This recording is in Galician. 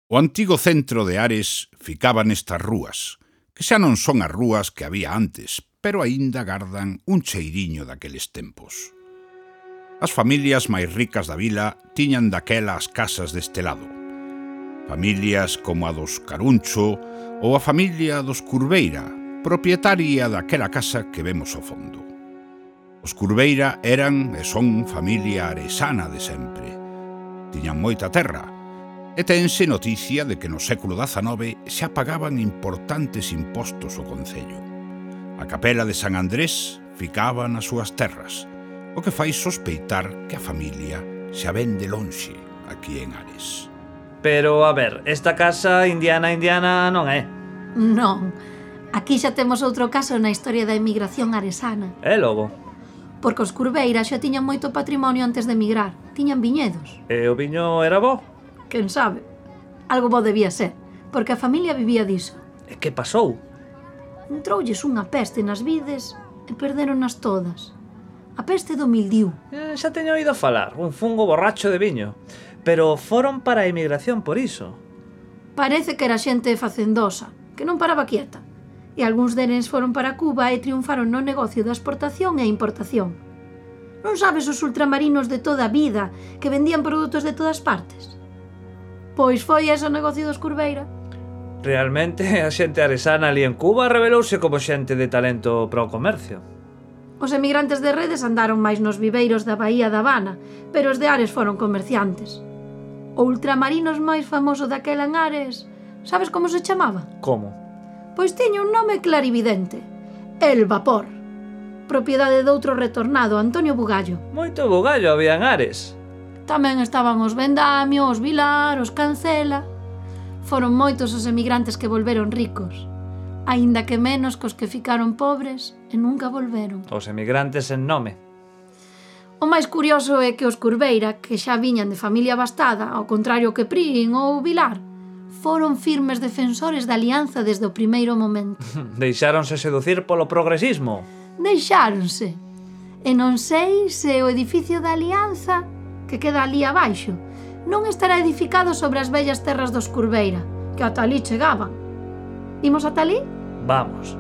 O antigo centro de Ares ficaba nestas rúas, que xa non son as rúas que había antes, pero aínda gardan un cheiriño daqueles tempos. As familias máis ricas da vila tiñan daquela as casas deste lado. Familias como a dos Caruncho ou a familia dos Curveira, propietaria daquela casa que vemos ao fondo. Os Curveira eran e son familia aresana de sempre. Tiñan moita terra, e tense noticia de que no século XIX xa pagaban importantes impostos ao concello. A capela de San Andrés ficaba nas súas terras, o que fai sospeitar que a familia xa ven de lonxe aquí en Ares. Pero, a ver, esta casa indiana non é? Non, aquí xa temos outro caso na historia da emigración aresana. É logo? Porque os Curveira xa tiñan moito patrimonio antes de emigrar, tiñan viñedos. E o viño era bo? Quen sabe? Algo bo debía ser, porque a familia vivía diso. E que pasou? Entroulles unha peste nas vides e perderonas todas. A peste do mildiu. Xa teño oído falar, un fungo borracho de viño. Pero foron para a emigración por iso. Parece que era xente facendosa, que non paraba quieta. E algúns deles foron para Cuba e triunfaron no negocio da exportación e importación. Non sabes os ultramarinos de toda a vida que vendían produtos de todas partes? Pois foi ese o negocio dos Curveira. Realmente a xente aresana ali en Cuba revelouse como xente de talento para o comercio. Os emigrantes de redes andaron máis nos viveiros da Bahía da Habana, pero os de Ares foron comerciantes. O ultramarinos máis famoso daquela en Ares, sabes como se chamaba? Como? Pois tiña un nome clarividente. El Vapor. Propiedade doutro retornado, Antonio Bugallo. Moito bugallo había en Ares. Tamén estaban os Vendamio, os Vilar, os Cancela. Foron moitos os emigrantes que volveron ricos, aínda que menos que os que ficaron pobres e nunca volveron. Os emigrantes en nome. O máis curioso é que os Curveira, que xa viñan de familia bastada, ao contrario que Prín ou Vilar, foron firmes defensores da alianza desde o primeiro momento. Deixáronse seducir polo progresismo. Deixáronse. E non sei se o edificio da alianza, que queda ali abaixo, non estará edificado sobre as vellas terras dos Curveira, que ata ali chegaban. Imos ata ali? Vamos.